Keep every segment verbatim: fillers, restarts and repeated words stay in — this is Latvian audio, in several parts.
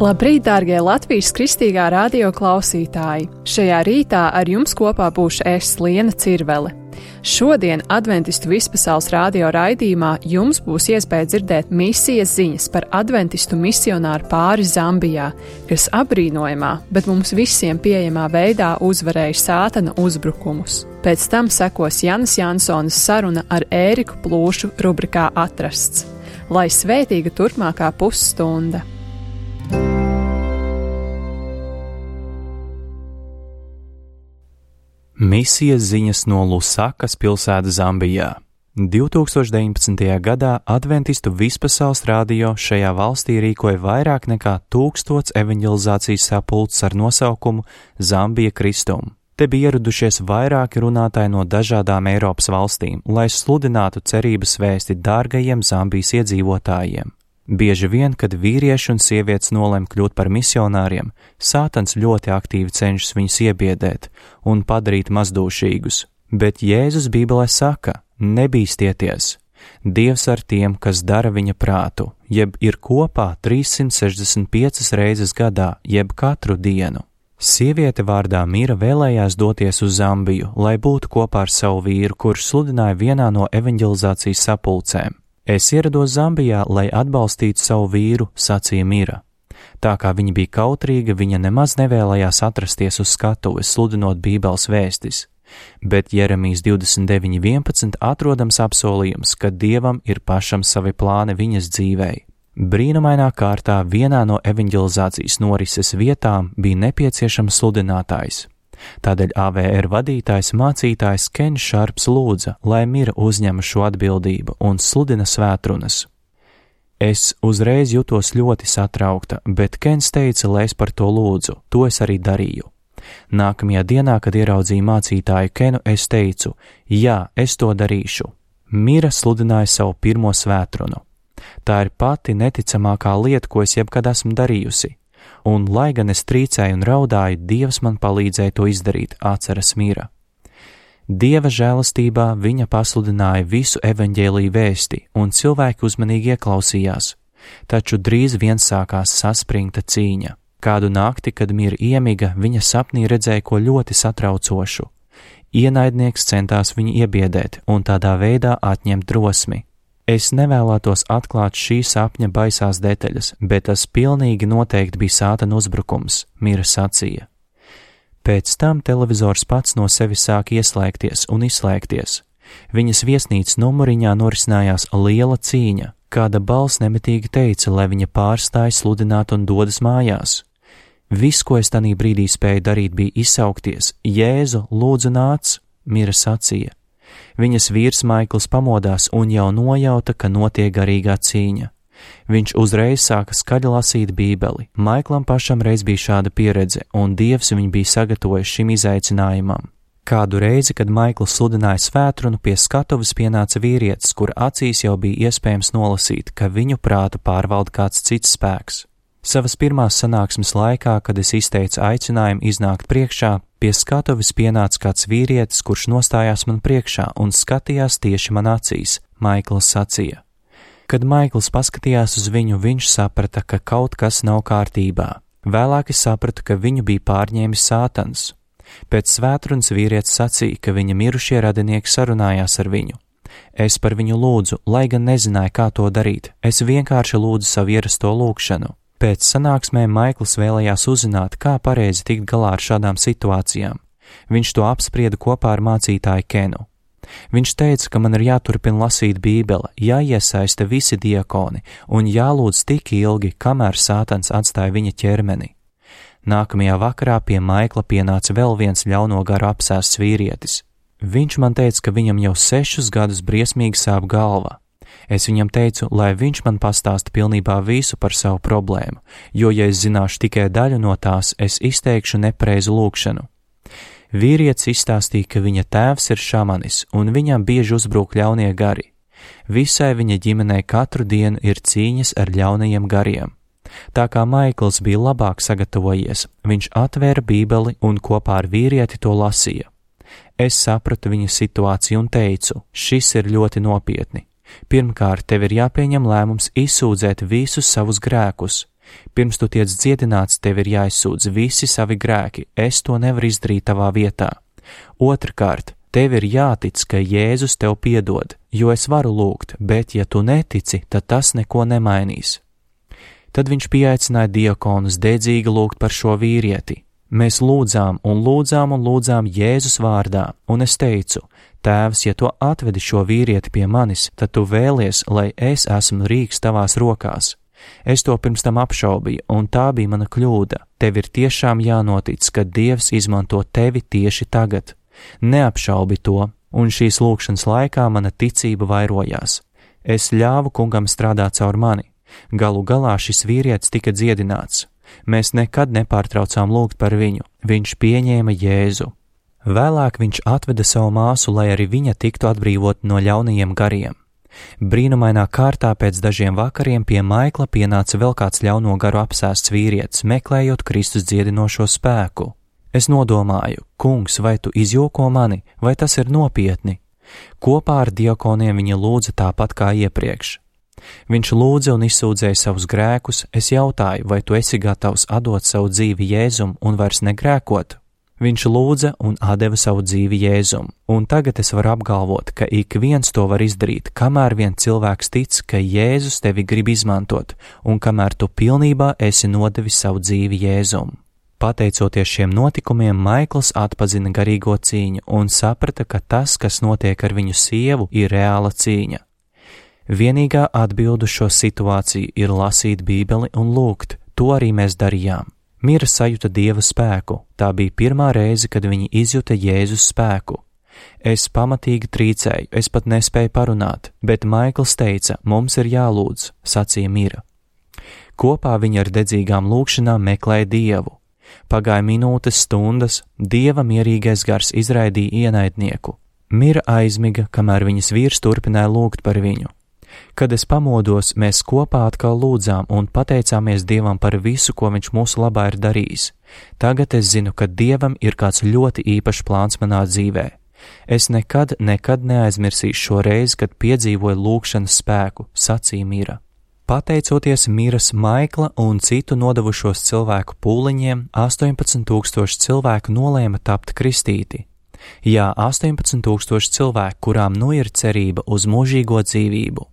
Labrīt, dārgie Latvijas Kristīgā radio klausītāji! Šajā rītā ar jums kopā būšu es, Liena Cirvele. Šodien Adventistu vispasaules radio raidījumā jums būs iespēja dzirdēt misijas ziņas par adventistu misionāru pāri Zambijā, kas apbrīnojamā, bet mums visiem pieejamā veidā uzvarēja sātana uzbrukumus. Pēc tam sekos Janas Jansonas saruna ar Ēriku Plūšu rubrikā Atrasts. Lai svētīga turpmākā pusstunda! Misijas ziņas no Lusakas pilsētas Zambijā. divtūkstoš deviņpadsmitajā gadā Adventistu vispasaules radio šajā valstī rīkoja vairāk nekā tūkstots evanģelizācijas sapulces ar nosaukumu Zambija Kristum. Te bija ieradušies vairāki runātāji no dažādām Eiropas valstīm, lai sludinātu cerības vēsti dārgajiem Zambijas iedzīvotājiem. Bieži vien, kad vīrieši un sievietes nolem kļūt par misionāriem, sātans ļoti aktīvi cenšas viņus iebiedēt un padarīt mazdūšīgus, bet Jēzus Bībelē saka: nebīstieties! Dievs ar tiem, kas dara viņa prātu, jeb ir kopā trīssimt sešdesmit piecas reizes gadā, jeb katru dienu. Sieviete vārdā Mira vēlējās doties uz Zambiju, lai būtu kopā ar savu vīru, kurš sludināja vienā no evanģelizācijas sapulcēm. Es ierados Zambijā, lai atbalstītu savu vīru, sacīja Mira. Tā kā viņa bija kautrīga, viņa nemaz nevēlējās atrasties uz skatuves, sludinot Bībeles vēstis. Bet Jeremijas divdesmit deviņi vienpadsmit atrodams apsolījums, ka Dievam ir pašam savi plāni viņas dzīvei. Brīnumainā kārtā vienā no evanģelizācijas norises vietām bija nepieciešams sludinātājs. Tādēļ A V R vadītājs mācītājs Kens Šarps lūdza, lai Mira uzņem šo atbildību un sludina svētrunas. Es uzreiz jutos ļoti satraukta, bet Kens teica, lai es par to lūdzu, to es arī darīju. Nākamajā dienā, kad ieraudzīju mācītāju Kenu, es teicu, jā, es to darīšu. Mira sludināja savu pirmo svētrunu. Tā ir pati neticamākā lieta, ko es jebkad esmu darījusi. Un, lai gan es trīcēju un raudāju, Dievs man palīdzēja to izdarīt, atceras Mira. Dieva žēlastībā viņa pasludināja visu evaņģēliju vēsti, un cilvēki uzmanīgi ieklausījās, taču drīz vien sākās saspringta cīņa. Kādu nakti, kad Mira iemiga, viņa sapnī redzēja ko ļoti satraucošu. Ienaidnieks centās viņu iebiedēt un tādā veidā atņemt drosmi. Es nevēlētos atklāt šī sapņa baisās detaļas, bet tas pilnīgi noteikti bija sātana uzbrukums, Mira sacīja. Pēc tam televizors pats no sevis sāk ieslēgties un izslēgties. Viņas viesnīcas numuriņā norisinājās liela cīņa, kāda balss nemitīgi teica, lai viņa pārstāj sludināt un dodas mājās. Viss, ko es tanī brīdī spēju darīt, bija izsaukties: Jēzu, lūdzu nāc, Mira sacīja. Viņas vīrs Maikls pamodās un jau nojauta, ka notiek garīgā cīņa. Viņš uzreiz sāka skaļi lasīt Bībeli. Maiklam pašam reiz bija šāda pieredze, un Dievs viņu bija sagatavojis šim izaicinājumam. Kādu reizi, kad Maikls sludināja svētrunu, pie skatuves pienāca vīrietis, kura acīs jau bija iespējams nolasīt, ka viņu prātu pārvalda kāds cits spēks. Savas pirmās sanāksmes laikā, kad es izteicu aicinājumu iznākt priekšā, pie skatuves pienāca kāds vīrietis, kurš nostājās man priekšā un skatījās tieši man acīs, Maikls sacīja. Kad Maikls paskatījās uz viņu, viņš saprata, ka kaut kas nav kārtībā. Vēlāk es sapratu, ka viņu bija pārņēmis sātans. Pēc svētrunas vīrietis sacīja, ka viņa mirušie radinieki sarunājās ar viņu. Es par viņu lūdzu, lai gan nezināju, kā to darīt. Es vienkārši lūdzu savu ierasto lūgšanu. Pēc sanāksmēm Maikls vēlējās uzzināt, kā pareizi tikt galā ar šādām situācijām. Viņš to apsprieda kopā ar mācītāju Kenu. Viņš teica, ka man ir jāturpina lasīt Bībele, jāiesaista visi diakoni un jālūdz tik ilgi, kamēr sātans atstāja viņa ķermeni. Nākamajā vakarā pie Maikla pienāca vēl viens ļauno garu apsēsts vīrietis. Viņš man teica, ka viņam jau sešus gadus briesmīgi sāp galva. Es viņam teicu, lai viņš man pastāsta pilnībā visu par savu problēmu, jo, ja es zināšu tikai daļu no tās, es izteikšu nepareizu lūgšanu. Vīrietis izstāstīja, ka viņa tēvs ir šamanis, un viņam bieži uzbrūk ļaunie gari. Visai viņa ģimenei katru dienu ir cīņas ar ļaunajiem gariem. Tā kā Maikls bija labāk sagatavojies, viņš atvēra Bībeli un kopā ar vīrieti to lasīja. Es sapratu viņa situāciju un teicu, šis ir ļoti nopietni. Pirmkārt, tev ir jāpieņem lēmums izsūdzēt visus savus grēkus. Pirms tu tiec dziedināts, tev ir jāizsūdz visi savi grēki, es to nevaru izdarīt tavā vietā. Otrkārt, tev ir jātic, ka Jēzus tev piedod, jo es varu lūgt, bet ja tu netici, tad tas neko nemainīs. Tad viņš pieaicināja diakonus dedzīgi lūgt par šo vīrieti. Mēs lūdzām un lūdzām un lūdzām Jēzus vārdā, un es teicu, Tēvs, ja tu atvedi šo vīrieti pie manis, tad tu vēlies, lai es esmu rīks tavās rokās. Es to pirms tam apšaubīju, un tā bija mana kļūda. Tev ir tiešām jānotic, ka Dievs izmanto tevi tieši tagad. Neapšaubi to, un šīs lūkšanas laikā mana ticība vairojās. Es ļāvu kungam strādāt caur mani. Galu galā šis vīrietis tika dziedināts. Mēs nekad nepārtraucām lūgt par viņu. Viņš pieņēma Jēzu. Vēlāk viņš atveda savu māsu, lai arī viņa tiktu atbrīvot no ļaunajiem gariem. Brīnumainā kārtā pēc dažiem vakariem pie Maikla pienāca vēl kāds ļauno garu apsēsts vīrietis, meklējot Kristus dziedinošo spēku. Es nodomāju, kungs, vai tu izjoko mani, vai tas ir nopietni? Kopā ar diakoniem viņa lūdza tāpat kā iepriekš. Viņš lūdza un izsūdzēja savus grēkus, es jautāju, vai tu esi gatavs atdot savu dzīvi Jēzum un vairs negrēkot? Viņš lūdza un atdeva savu dzīvi Jēzum, un tagad es varu apgalvot, ka ik viens to var izdarīt, kamēr vien cilvēks tic, ka Jēzus tevi grib izmantot, un kamēr tu pilnībā esi nodevis savu dzīvi Jēzum. Pateicoties šiem notikumiem, Maikls atpazina garīgo cīņu un saprata, ka tas, kas notiek ar viņu sievu, ir reāla cīņa. Vienīgā atbilde uz šo situāciju ir lasīt Bībeli un lūgt, to arī mēs darījām. Mira sajūta Dieva spēku, tā bija pirmā reize, kad viņa izjuta Jēzus spēku. Es pamatīgi trīcēju, es pat nespēju parunāt, bet Maikls teica, mums ir jālūdz, sacīja Mira. Kopā viņa ar dedzīgām lūkšanām meklēja Dievu. Pagāja minūtes, stundas, Dieva mierīgais gars izraidīja ienaidnieku. Mira aizmiga, kamēr viņas vīrs turpināja lūgt par viņu. Kad es pamodos, mēs kopā atkal lūdzām un pateicāmies Dievam par visu, ko viņš mūsu labā ir darījis. Tagad es zinu, ka Dievam ir kāds ļoti īpašs plāns manā dzīvē. Es nekad, nekad neaizmirsīšu šo reizi, kad piedzīvoju lūkšanas spēku, sacīja Mira. Pateicoties Miras, Maikla un citu nodevušos cilvēku pūliņiem, astoņpadsmit tūkstoši cilvēku nolēma tapt kristīti. Jā, astoņpadsmit tūkstoši cilvēku, kurām nu ir cerība uz mūžīgo dzīvību.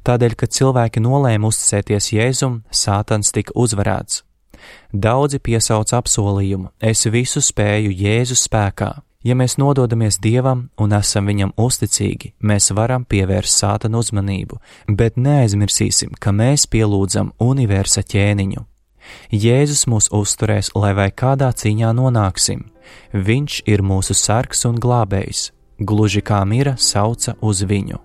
Tādēļ, kad cilvēki nolēma uzticēties Jēzum, Sātans tika uzvarēts. Daudzi piesauc apsolījumu, es visu spēju Jēzus spēkā. Ja mēs nododamies Dievam un esam viņam uzticīgi, mēs varam pievērst Sātana uzmanību, bet neaizmirsīsim, ka mēs pielūdzam universa ķēniņu. Jēzus mūs uzturēs, lai vai kādā cīņā nonāksim. Viņš ir mūsu sargs un glābējs, gluži kā Mira sauca uz viņu.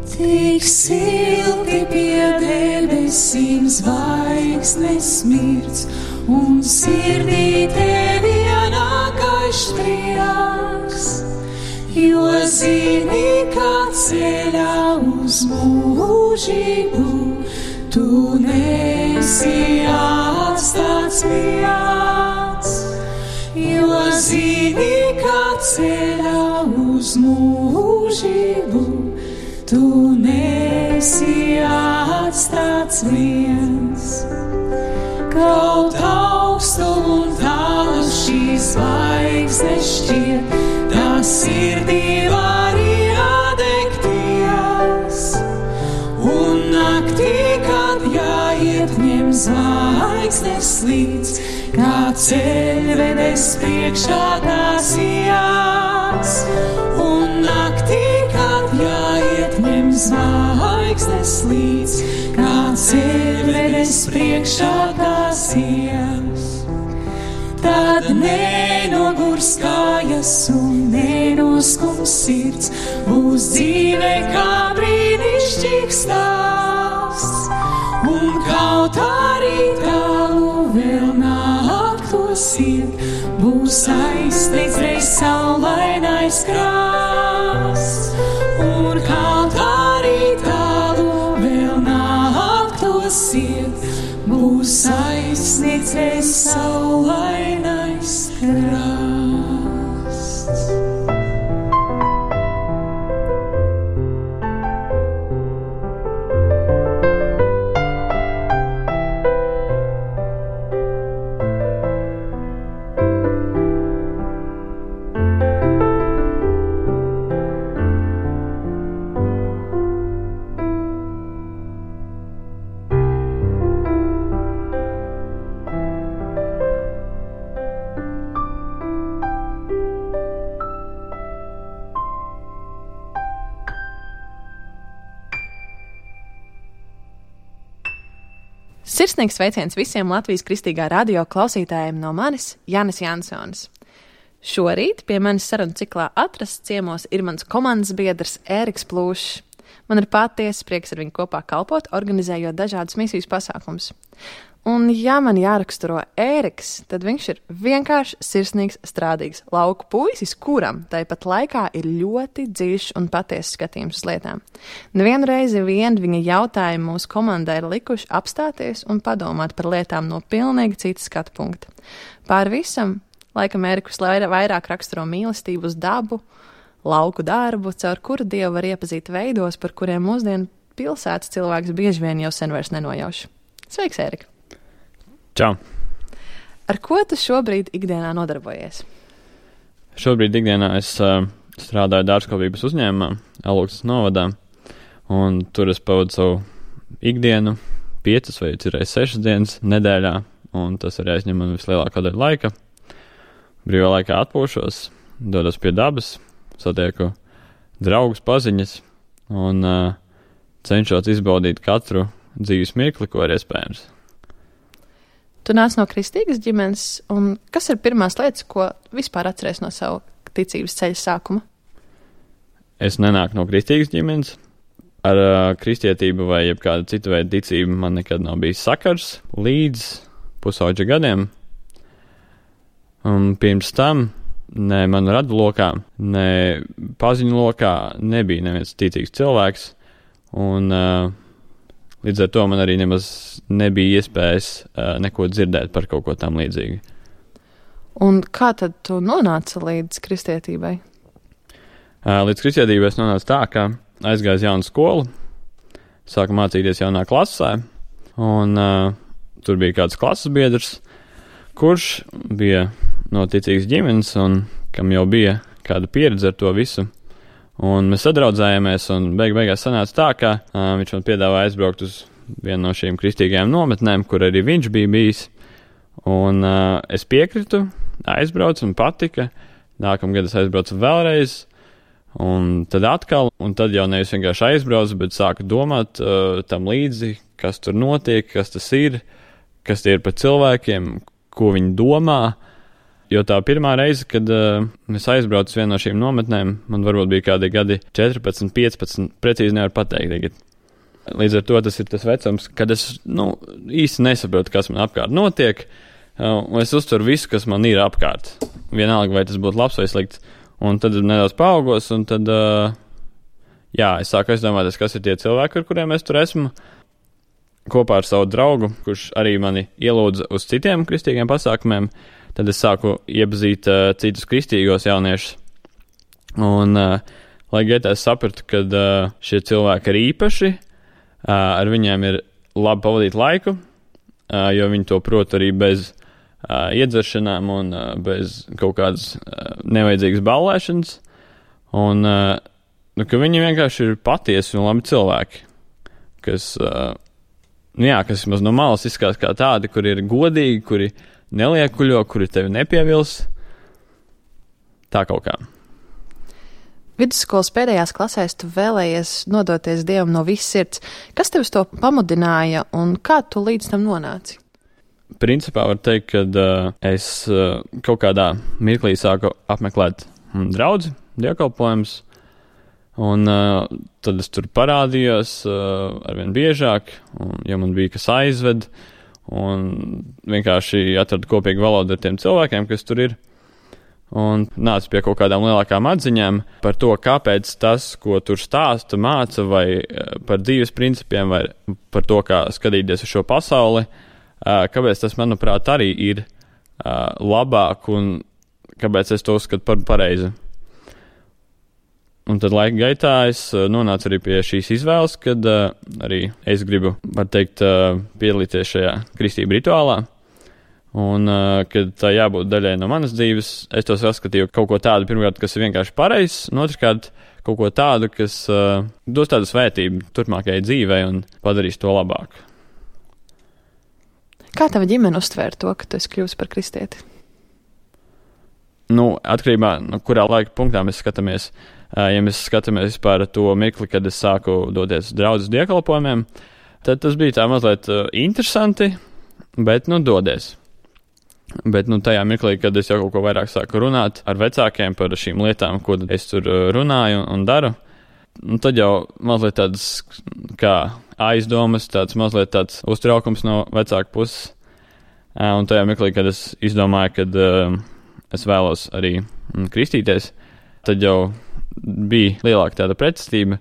Tik silti pie debesīm zvaigznes smirds, un sirdī tevi ienāk prieks, jo zini, kā ceļā uz mūžību tu nesi atstāts viens, jo zini, kā ceļā uz mūžību tu nesi atstāts viens. Kaut augstu un tālu šīs zvaigznes šķiet, tā sirdī var iedegties. Un naktī, kad jāiet ņem zvaigznes līdz, kā ceļvedes priekšā tās jās. Un naktī, kad jāiet ņem zvaigznes līdz, kā ceļvedes priekšā tās jās. Tad nenogurs kājas un nenoskums sirds, būs dzīve kā brīnišķīgs stāsts. Un kaut arī tālu vēl nāktos iet, būs aizsniegts reiz saulainais krasts. Un kaut arī tālu vēl nāktos iet, būs aizsniegts reiz saulainais krasts. Sirsnīgs sveiciens visiem Latvijas Kristīgā radio klausītājiem no manis, Jānis Jansons. Šorīt pie manis sarunu ciklā atrasts ciemos ir mans komandas biedrs Ēriks Plūšs. Man ir patiesi prieks ar viņu kopā kalpot, organizējot dažādus misijas pasākumus. Un, ja man jāraksturo Ēriks, tad viņš ir vienkārši sirsnīgs, strādīgs lauku puisis, kuram tāpat laikā ir ļoti dziļš un patiesas skatījums uz lietām. Nevienu reizi vien viņa jautājumi mūsu komandai ir likuši apstāties un padomāt par lietām no pilnīgi citas skatu punkta. Pār visam, laikam Ērikus vairāk raksturo mīlestību uz dabu, lauku darbu, caur kuru Dievu var iepazīt veidos, par kuriem mūsdienu pilsētas cilvēks bieži vien jau sen vairs nenojauš. Sveiks, Ērika! Čau! Ar ko tu šobrīd ikdienā nodarbojies? Šobrīd ikdienā es uh, strādāju dārzkopības uzņēmumā, Elūksnes novadā, un tur es pavadu savu ikdienu piecas vai cirreiz sešas dienas nedēļā, un tas arī aizņem man vislielākā daļa laika. Brīvā laikā atpūšos, dodos pie dabas, satieku draugus, paziņas, un uh, cenšos izbaudīt katru dzīves mirkli, ko ir iespējams. Tu nāc no kristīgas ģimenes, un kas ir pirmās lietas, ko vispār atceries no savu ticības ceļa sākuma? Es nenāku no kristīgas ģimenes. Ar uh, kristietību vai jebkādu citu veidu ticību man nekad nav bijis sakars līdz pusauģa gadiem. Un pirms tam ne manu radu lokā, ne paziņu lokā nebija neviens ticīgs cilvēks, un uh, līdz ar to man arī nemaz nebija iespējas uh, neko dzirdēt par kaut ko tam līdzīgu. Un kā tad tu nonāci līdz kristietībai? Uh, līdz kristietībai es nonācu tā, ka aizgāju uz jaunu skolu, sāku mācīties jaunā klasē, un uh, tur bija kāds klases biedrs, kurš bija no ticīgas ģimenes un kam jau bija kāda pieredze ar to visu. Un mēs sadraudzējāmies, un beig beigās sanāca tā, ka uh, viņš man piedāvāja aizbraukt uz vienu no šīm kristīgajām nometnēm, kur arī viņš bija bijis. Un uh, es piekritu, aizbraucu un patika. Nākamgad es aizbraucu vēlreiz, un tad atkal, un tad jau nevis vienkārši aizbraucu, bet sāku domāt uh, tam līdzi, kas tur notiek, kas tas ir, kas tie ir par cilvēkiem, ko viņi domā. Jo tā pirmā reize, kad uh, es aizbraucu uz vienu no šīm nometnēm, man varbūt bija kādi gadi četrpadsmit, piecpadsmit, precīzi nevar pateikt tagad. Līdz ar to tas ir tas vecums, kad es nu, īsti nesaprotu, kas man apkārt notiek, uh, un es uztveru visu, kas man ir apkārt. Vienalga, vai tas būtu labs vai slikts. Un tad nedaudz paaugos, un tad, uh, jā, es sāku aizdomāties, kas ir tie cilvēki, ar kuriem es tur esmu. Kopā ar savu draugu, kurš arī mani ielūdza uz citiem kristīgiem pasākumiem, tad es sāku iepazīt uh, citus kristīgos jauniešus. Un, uh, lai gaitā es sapratu, ka uh, šie cilvēki ir īpaši, uh, ar viņiem ir labi pavadīt laiku, uh, jo viņi to prot arī bez uh, iedzeršanām un uh, bez kaut kādas uh, nevajadzīgas ballēšanas. Un, uh, nu, ka viņi vienkārši ir patiesi un labi cilvēki, kas, uh, nu jā, kas maz no malas izskatās kā tādi, kuri ir godīgi, kuri neliekuļo, kuri tevi nepievils. Tā kaut kā. Vidusskolas pēdējās klasēs tu vēlējies nodoties Dievam no visas sirds. Kas tev uz to pamudināja un kā tu līdz tam nonāci? Principā var teikt, ka uh, es uh, kaut kādā mirklī sāku apmeklēt mm, draudzi, dievkalpojumus, un uh, tad es tur parādījos uh, arvien biežāk, un, ja man bija kas aizved, un vienkārši atradu kopīgu valodu ar tiem cilvēkiem, kas tur ir, un nācu pie kaut kādām lielākām atziņām par to, kāpēc tas, ko tur stāsta, māca, vai par dzīves principiem, vai par to, kā skatīties uz šo pasauli, kāpēc tas, manuprāt, arī ir labāk, un kāpēc es to uzskatu par pareizi. Un tad laika gaitā es nonācu arī pie šīs izvēles, kad uh, arī es gribu, var teikt, uh, piedalīties šajā kristību rituālā. Un, uh, kad tā jābūt daļai no manas dzīves, es to saskatīju kaut ko tādu, pirmkārt, kas ir vienkārši pareizs, un otrkārt, kaut ko tādu, kas uh, dos tādu svētību turpmākajai dzīvei un padarīs to labāk. Kā tava ģimene uztvēra to, ka tu esi kļuvis par kristieti? Nu, atkarībā no kurā laika punktā mēs skatāmies. Ja mēs skatāmies vispār to mirkli, kad es sāku doties uz draudzes dievkalpojumiem, Tad tas bija tā mazliet uh, interesanti, bet, nu, dodies. Bet, nu, tajā mirklī, kad es jau kaut ko vairāk sāku runāt ar vecākiem par šīm lietām, ko es tur uh, runāju un, un daru, un tad jau mazliet tādas, kā aizdomas, tāds mazliet tāds uztraukums no vecāku puses. Uh, un tajā mirklī, kad es izdomāju, kad uh, es vēlos arī mm, kristīties, tad jau bija lielāka tāda pretestība,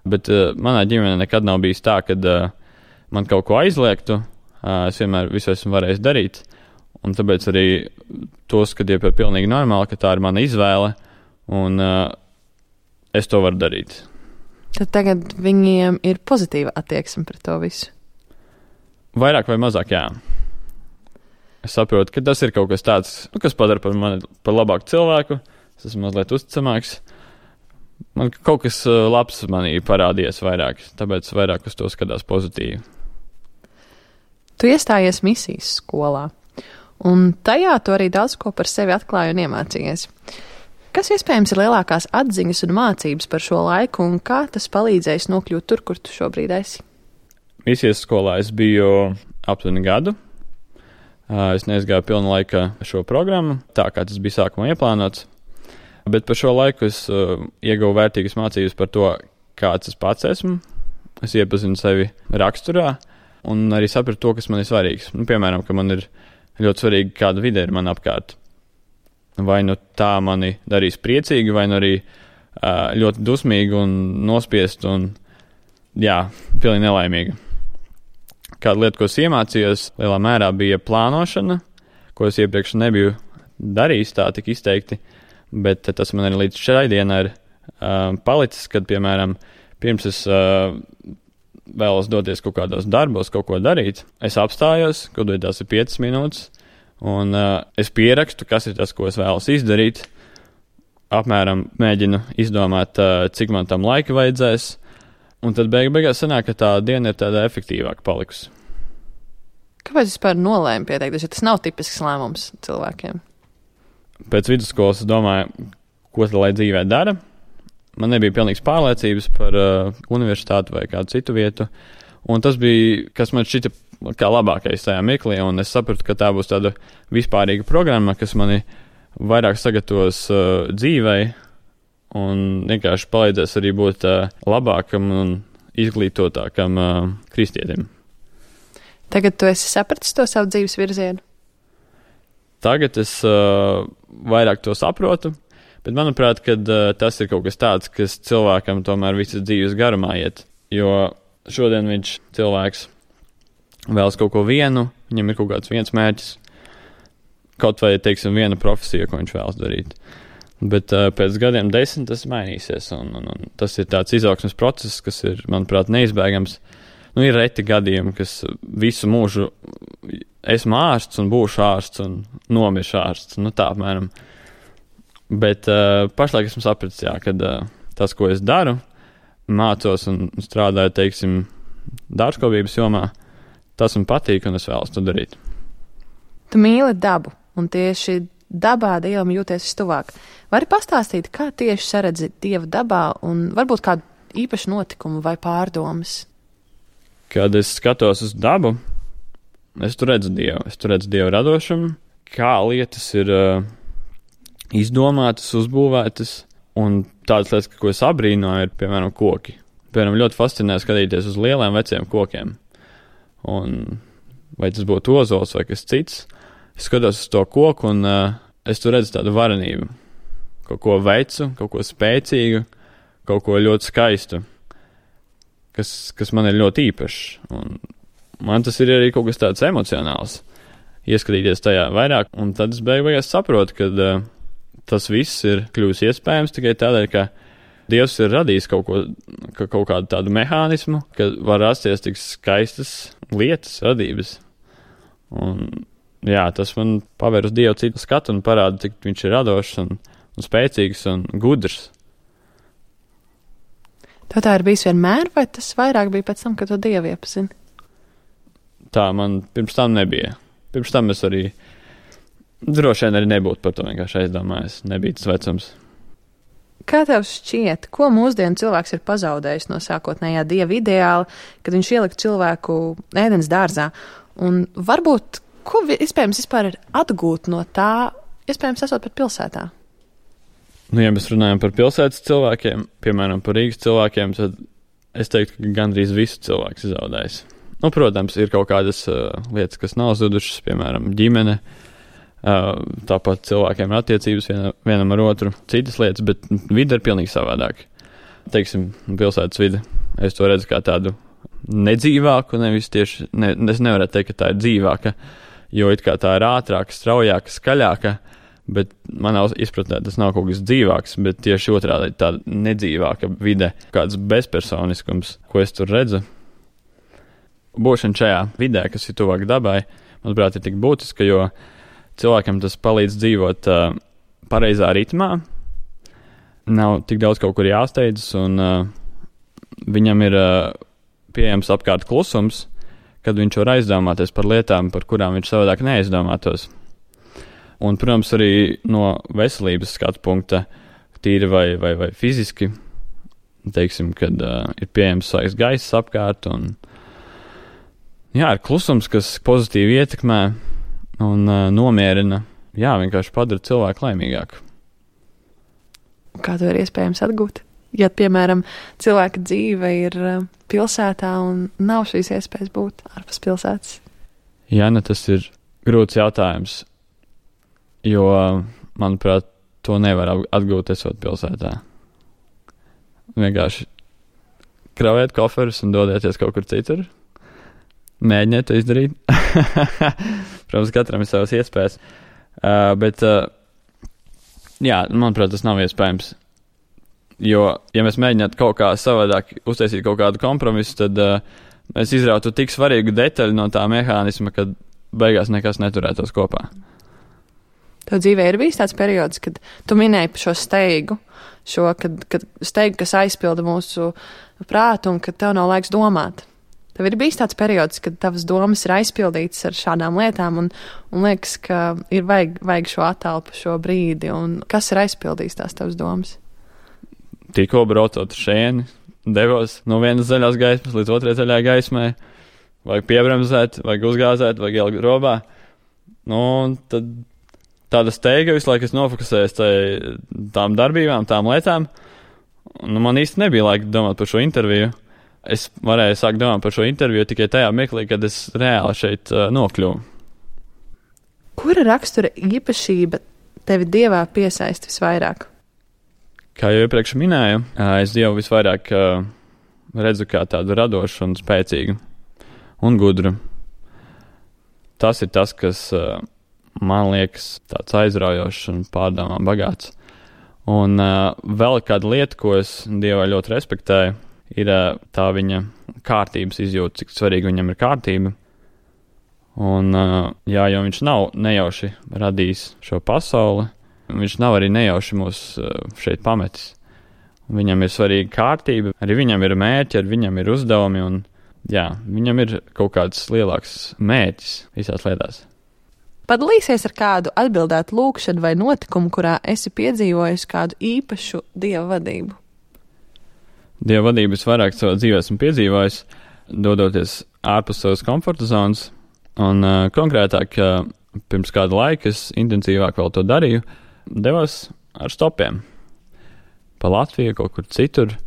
bet uh, manā ģimenē nekad nav bijis tā, kad uh, man kaut ko aizliegtu, uh, es vienmēr visu esmu varējis darīt, un tāpēc arī to skatīju par pilnīgi normāli, ka tā ir mana izvēle, un uh, es to varu darīt. Tad tagad viņiem ir pozitīva attieksme pret to visu? Vairāk vai mazāk, jā. Es saprotu, ka tas ir kaut kas tāds, nu, kas padara par mani par labāku cilvēku, es esmu mazliet uzticamāks. Man kaut kas labs manī parādījies vairāk, tāpēc vairāk uz to skatās pozitīvi. Tu iestājies misijas skolā, un tajā tu arī daudz ko par sevi atklāji un iemācījies. Kas iespējams ir lielākās atziņas un mācības par šo laiku, un kā tas palīdzējis nokļūt tur, kur tu šobrīd esi? Misijas skolā es biju aptuveni gadu. Es neizgāju pilna laika šo programmu, tā kā tas bija sākumā ieplānots. Bet par šo laiku es uh, ieguvu vērtīgas mācības par to, kāds es pats esmu. Es iepazinu sevi raksturā un arī sapratu to, kas man ir svarīgs. Nu, piemēram, ka man ir ļoti svarīgi, kāda vide ir man apkārt. Vai nu tā mani darīs priecīgi, vai nu arī uh, ļoti dusmīgi un nospiest un, jā, pilnīgi nelaimīgi. Kāda lieta, ko es iemācījos, lielā mērā bija plānošana, ko es iepriekš nebiju darījis tā tik izteikti. Bet tas man arī līdz šai dienai ir uh, palicis, kad, piemēram, pirms es uh, vēlos doties kaut kādos darbos, kaut ko darīt, es apstājos, kaut vai tās ir piecas minūtes, un uh, es pierakstu, kas ir tas, ko es vēlos izdarīt, apmēram mēģinu izdomāt, uh, cik man tam laika vajadzēs, un tad beig beigās sanāk, ka tā diena ir tāda efektīvāka palikusi. Kāpēc vispār nolēmi pieteikties, jo tas nav tipisks lēmums cilvēkiem? Pēc vidusskolas es domāju, ko tad lai dzīvē dara. Man nebija pilnīgs pārliecības par uh, universitāti vai kādu citu vietu. Un tas bija, kas man šķita kā labākais tajā mirklī. Un es sapratu, ka tā būs tāda vispārīga programma, kas mani vairāk sagatavos uh, dzīvei. Un vienkārši palīdzēs arī būt uh, labākam un izglītotākam uh, kristietim. Tagad tu esi sapratis to savu dzīves virzienu? Tagad es uh, vairāk to saprotu, bet manuprāt, kad uh, tas ir kaut kas tāds, kas cilvēkam tomēr visas dzīves garumā iet. Jo šodien viņš cilvēks vēlas kaut ko vienu, viņam ir kaut kāds viens mērķis, kaut vai, teiksim, viena profesija, ko viņš vēlas darīt. Bet uh, pēc gadiem desmit tas mainīsies, un, un, un tas ir tāds izaugsmes process, kas ir, manuprāt, neizbēgams. Nu, ir reti gadījumi, kas visu mūžu esmu ārsts un būšu ārsts un nomiršu ārsts. Nu, tā apmēram. Bet uh, pašlaik esmu sapratis, jā, kad uh, tas, ko es daru, mācos un strādāju, teiksim, dārzkopības jomā, tas man patīk un es vēlos to darīt. Tu mīli dabu, un tieši dabā Dievam jūties vistuvāk. Vari pastāstīt, kā tieši saredzi Dieva dabā un varbūt kādu īpašu notikumu vai pārdomas? Kad es skatos uz dabu, es tur redzu Dievu. Es tur redzu Dievu radošumu, kā lietas ir uh, izdomātas, uzbūvētas, un tādas lietas, ko es abrīnoju, ir, piemēram, koki. Piemēram, ļoti fascinē skatīties uz lieliem veciem kokiem. Un vai tas būtu ozols vai kas cits, es skatos uz to koku, un uh, es tur redzu tādu varenību. Kaut ko vecu, kaut ko spēcīgu, kaut ko ļoti skaistu. Kas, kas man ir ļoti īpašs, un man tas ir arī kaut kas tāds emocionāls, ieskatīties tajā vairāk, un tad es beig beigās saprotu, ka uh, tas viss ir kļūs iespējams tikai tādēļ, ka Dievs ir radījis kaut ko, ka kaut kādu tādu mehānismu, ka var rasties tik skaistas lietas, radības, un jā, tas man paver uz Dievu citu skatu un parāda, cik viņš ir radošs un, un spēcīgs un gudrs. Tev tā ir bijis vienmēr, vai tas vairāk bija pēc tam, kad tu Dievu iepazini? Tā man pirms tam nebija. Pirms tam es arī droši vien arī nebūtu par to vienkārši aizdomājies. Nebija tas vecums. Kā tev šķiet, ko mūsdienu cilvēks ir pazaudējis no sākotnējā dieva ideāla, kad viņš ielika cilvēku ēdienas dārzā? Un varbūt, ko iespējams vispār ir atgūt no tā, iespējams esot pat pilsētā? Nu, ja mēs runājam par pilsētas cilvēkiem, piemēram, par Rīgas cilvēkiem, tad es teiktu, ka gandrīz visu cilvēks ir zaudējis. Nu, protams, ir kaut kādas uh, lietas, kas nav zudušas, piemēram, ģimene, uh, tāpat cilvēkiem ir attiecības viena, vienam ar otru, citas lietas, bet vide ir pilnīgi savādāk. Teiksim, pilsētas vide, es to redzu kā tādu nedzīvāku, nevis tieši, ne, es nevaru teikt, ka tā ir dzīvāka, jo it kā tā ir ātrāka, straujāka, skaļāka, bet manā izpratnē tas nav kaut kas dzīvāks, bet tieši otrādi tāda nedzīvāka vide, kāds bezpersoniskums, ko es tur redzu. Būšana šajā vidē, kas ir tuvāk dabai, manuprāt, ir tik būtiska, jo cilvēkam tas palīdz dzīvot uh, pareizā ritmā, nav tik daudz kaut kur jāsteidzas, un uh, viņam ir uh, pieejams apkārt klusums, kad viņš var aizdomāties par lietām, par kurām viņš savādāk neaizdomātos. Un, protams, arī no veselības skatu punkta, tīri vai, vai, vai fiziski, teiksim, kad uh, ir pieejams svaigs gaiss apkārt, un jā, ir klusums, kas pozitīvi ietekmē un uh, nomierina, jā, vienkārši padara cilvēku laimīgāku. Kā to ir iespējams atgūt? Ja, piemēram, cilvēka dzīve ir uh, pilsētā un nav šīs iespējas būt ārpus pilsētas? Jā, ne, tas ir grūts jautājums. Jo, manuprāt, to nevar atgūt esot pilsētā. Vienkārši kraujat koferus un dodieties kaut kur citur. Mēģiniet to izdarīt. Protams, katram ir savas iespējas. Uh, bet, uh, jā, manuprāt, tas nav iespējams. Jo, ja mēs mēģinātu kaut kā savādāk uztaisīt kaut kādu kompromisu, tad uh, mēs izrautu tik svarīgu detaļu no tā mehānisma, kad beigās nekas neturētos kopā. Tev dzīvē ir bijis tāds periods, kad tu minēji par šo steigu, šo, kad, kad steigu, kas aizpilda mūsu prātu un kad tev nav laiks domāt. Tev ir bijis tāds periods, kad tavas domas ir aizpildītas ar šādām lietām un, un liekas, ka ir vajag, vajag šo attelpu, šo brīdi, un kas ir aizpildījis tās tavas domas? Tikko braucot šeini, devos no vienas zaļās gaismas līdz otrai zaļā gaismai, vajag piebremzēt, vajag uzgāzēt, vajag ielikt robā. Nu, tad tāda steiga visu laiku es nofokusējos tām darbībām, tām lietām. Nu, man īsti nebija laika domāt par šo interviju. Es varēju sākt domāt par šo interviju tikai tajā mirklī, kad es reāli šeit uh, nokļuvu. Kura rakstura īpašība tevi Dievā piesaista visvairāk? Kā jau iepriekš minēju, uh, es Dievu visvairāk uh, redzu kā tādu radošu un spēcīgu un gudru. Tas ir tas, kas uh, man liekas tāds aizraujošs un pārdomām bagāts. Un uh, vēl kāda lieta, ko es Dievā ļoti respektēju, ir uh, tā viņa kārtības izjūta, cik svarīgi viņam ir kārtība. Un, uh, jā, jo viņš nav nejauši radījis šo pasauli, viņš nav arī nejauši mūs uh, šeit pametis. Viņam ir svarīga kārtība, arī viņam ir mērķi, arī viņam ir uzdevumi, un jā, viņam ir kaut kāds lielāks mērķis visās lietās. Padalīsies ar kādu atbildētu lūkšanu vai notikumu, kurā esi piedzīvojis kādu īpašu Dieva vadību? Dieva vadību es vairāk savā dzīvē esmu piedzīvojis, dodoties ārpus savas komforta zonas, un uh, konkrētāk, uh, pirms kāda laika es intensīvāk vēl to darīju, devos ar stopiem pa Latviju, kaut kur citur,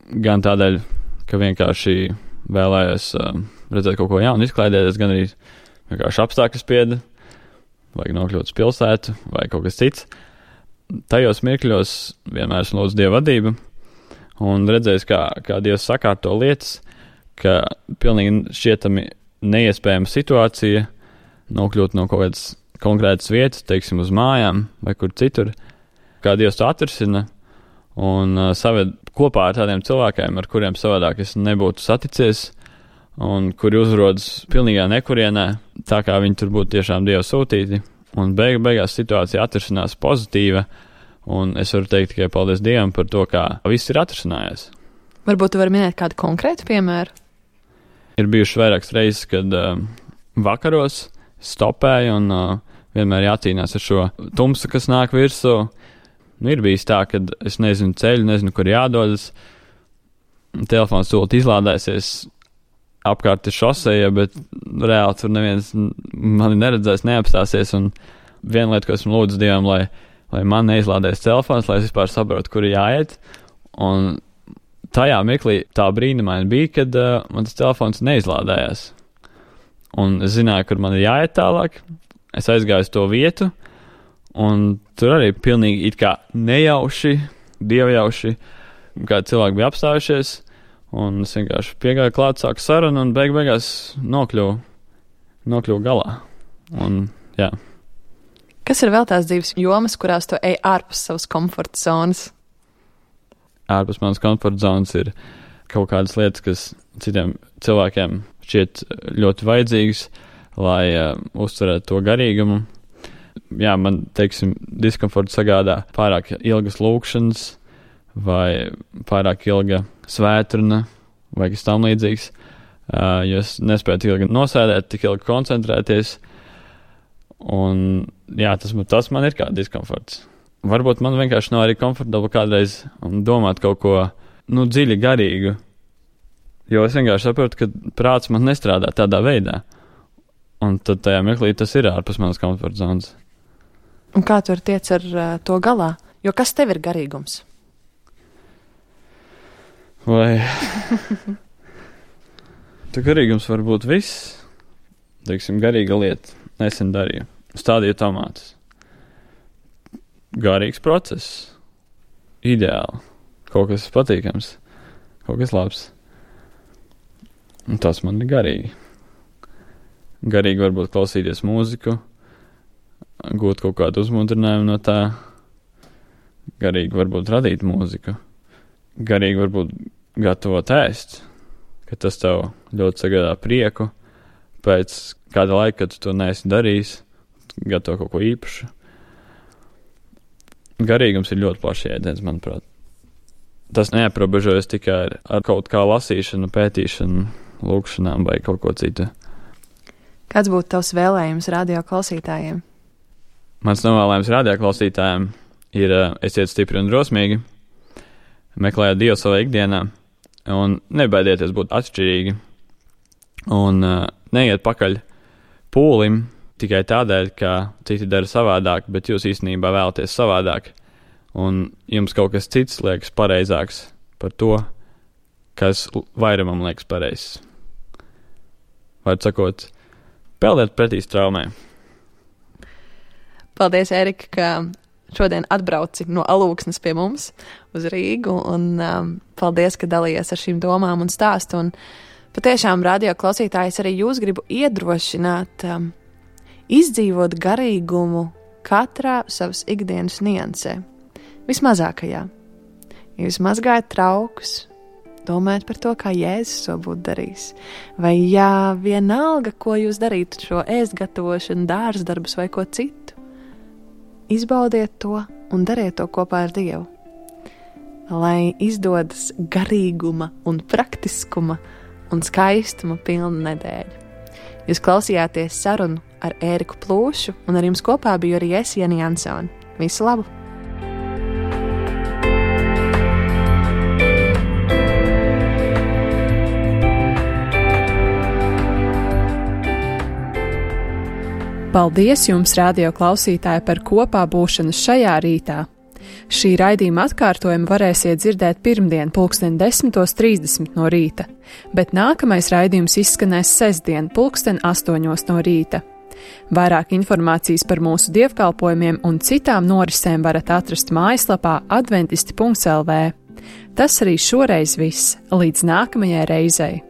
gan tādēļ, ka vienkārši vēlējos uh, redzēt kaut ko jaunu, izklaidēties, gan arī vienkārši apstākļu spieda, vajag nokļūt uz pilsētu vai kaut kas cits. Tajos mirkļos vienmēr esmu lūdzu Dieva vadību un redzējis, kā, kā Dievs sakārto lietas, ka pilnīgi šķietami neiespējama situācija nokļūt no kaut kādas konkrētas vietas, teiksim, uz mājām vai kur citur, kā Dievs to atrisina un uh, saved kopā ar tādiem cilvēkiem, ar kuriem savādāk es nebūtu saticies, un kuri uzrodas pilnīgā nekurienē, tā kā viņi tur būtu tiešām Dieva sūtīti, un beig, beigās situācija atrisinās pozitīva, un es varu teikt tikai paldies Dievam par to, kā viss ir atrisinājies. Varbūt tu vari minēt kādu konkrētu piemēru? Ir bijuši vairākas reizes, kad uh, vakaros stopēju un uh, vienmēr jācīnās ar šo tumsu, kas nāk virsū, Nu, ir bijis tā, ka es nezinu ceļu, nezinu, kur jādodas. Telefons tūlīt izlādēsies, apkārt ir šoseja, bet reāli tur neviens mani neredzēs, neapstāsies. Un viena lieta, ko esmu lūdzu Dievam, lai, lai man neizlādēs telefons, lai es vispār saprotu, kur ir jāiet. Un tajā mirklī tā brīnumaini bija, kad uh, man tas telefons neizlādējās. Un es zināju, kur man ir jāiet tālāk. Es aizgāju uz to vietu, un tur arī pilnīgi it kā nejauši, dievjauši, kā cilvēki bija apstājušies, un es vienkārši piegāju klāt, sāku sarunu, un beig beigās nokļuvu, nokļuvu galā. Un, jā. Kas ir vēl tās dzīves jomas, kurās tu ej ārpus savas komforta zonas? Ārpus manas komforta zonas ir kaut kādas lietas, kas citiem cilvēkiem šķiet ļoti vajadzīgas, lai uh, uzturētu to garīgumu. Jā, man, teiksim, diskomfortu sagādā pārāk ilgas lūkšanas vai pārāk ilga svētruna vai kas tam līdzīgs, uh, jo es nespēju tik ilgi nosēdēt, tik ilgi koncentrēties. Un jā, tas, tas man ir kā diskomforts. Varbūt man vienkārši nav arī komfortabli kādreiz domāt kaut ko, nu, dziļi garīgu, jo es vienkārši saprotu, ka prāts man nestrādā tādā veidā. Un tad tajā mirklī tas ir ārpus manas komforta zonas. Un kā tu tiec ar uh, to galā? Jo kas tev ir garīgums? Vai tu garīgums var būt viss? Teiksim, garīga lieta. Nesen darīju. Stādīju tomātus. Garīgs process. Ideāli. Kaut kas patīkams. Kaut kas labs. Un tas man ir garīgi. Garīgi varbūt klausīties mūziku, gūt kaut kādu uzmundrinājumu no tā. Garīgi varbūt radīt mūziku. Garīgi varbūt gatavot ēst, ka tas tev ļoti sagādā prieku. Pēc kāda laika, kad tu to neesi darījis, gatavo kaut ko īpašu. Garīgums ir ļoti plašs jēdziens, manuprāt. Tas neaprobežojas tikai ar, ar kaut kā lasīšanu, pētīšanu, lūkšanām vai kaut ko citu. Kāds būtu tavs vēlējums radio klausītājiem? Mans novēlējums radio klausītājiem ir esiet stipri un drosmīgi, meklējiet Dievu savā ikdienā un nebaidieties būt atšķirīgi un uh, neiet pakaļ pūlim tikai tādēļ, ka citi dara savādāk, bet jūs īstenībā vēlaties savādāk un jums kaut kas cits liekas pareizāks par to, kas vairumam liekas pareizs. Var sakot, peldiet pretī straumē. Paldies, Erika, ka šodien atbrauci no Alūksnes pie mums uz Rīgu, un um, paldies, ka dalījies ar šīm domām un stāstu. Un patiešām, radio klausītājs, arī jūs gribu iedrošināt um, izdzīvot garīgumu katrā savas ikdienas niansē. Vismazākajā. Ja jūs mazgājat traukus, domājat par to, kā Jēzus to būtu darījis. Vai jā, vienalga, ko jūs darītu, šo ēst gatavošanu, dārsdarbus vai ko citu, izbaudiet to un dariet to kopā ar Dievu. Lai izdodas garīguma un praktiskuma un skaistuma pilna nedēļa. Jūs klausījāties sarunu ar Ēriku Plūšu, un ar jums kopā biju arī es, Jani Jansoni. Visu labu! Paldies jums, radio klausītāji, par kopā būšanu šajā rītā. Šī raidījuma atkārtojumu varēsiet dzirdēt pirmdien pulksten desmitos trīsdesmit no rīta, bet nākamais raidījums izskanēs sestdien pulksten astoņos no rīta. Vairāk informācijas par mūsu dievkalpojumiem un citām norisēm varat atrast mājaslapā adventisti punkts el vē. Tas arī šoreiz viss. Līdz nākamajai reizei!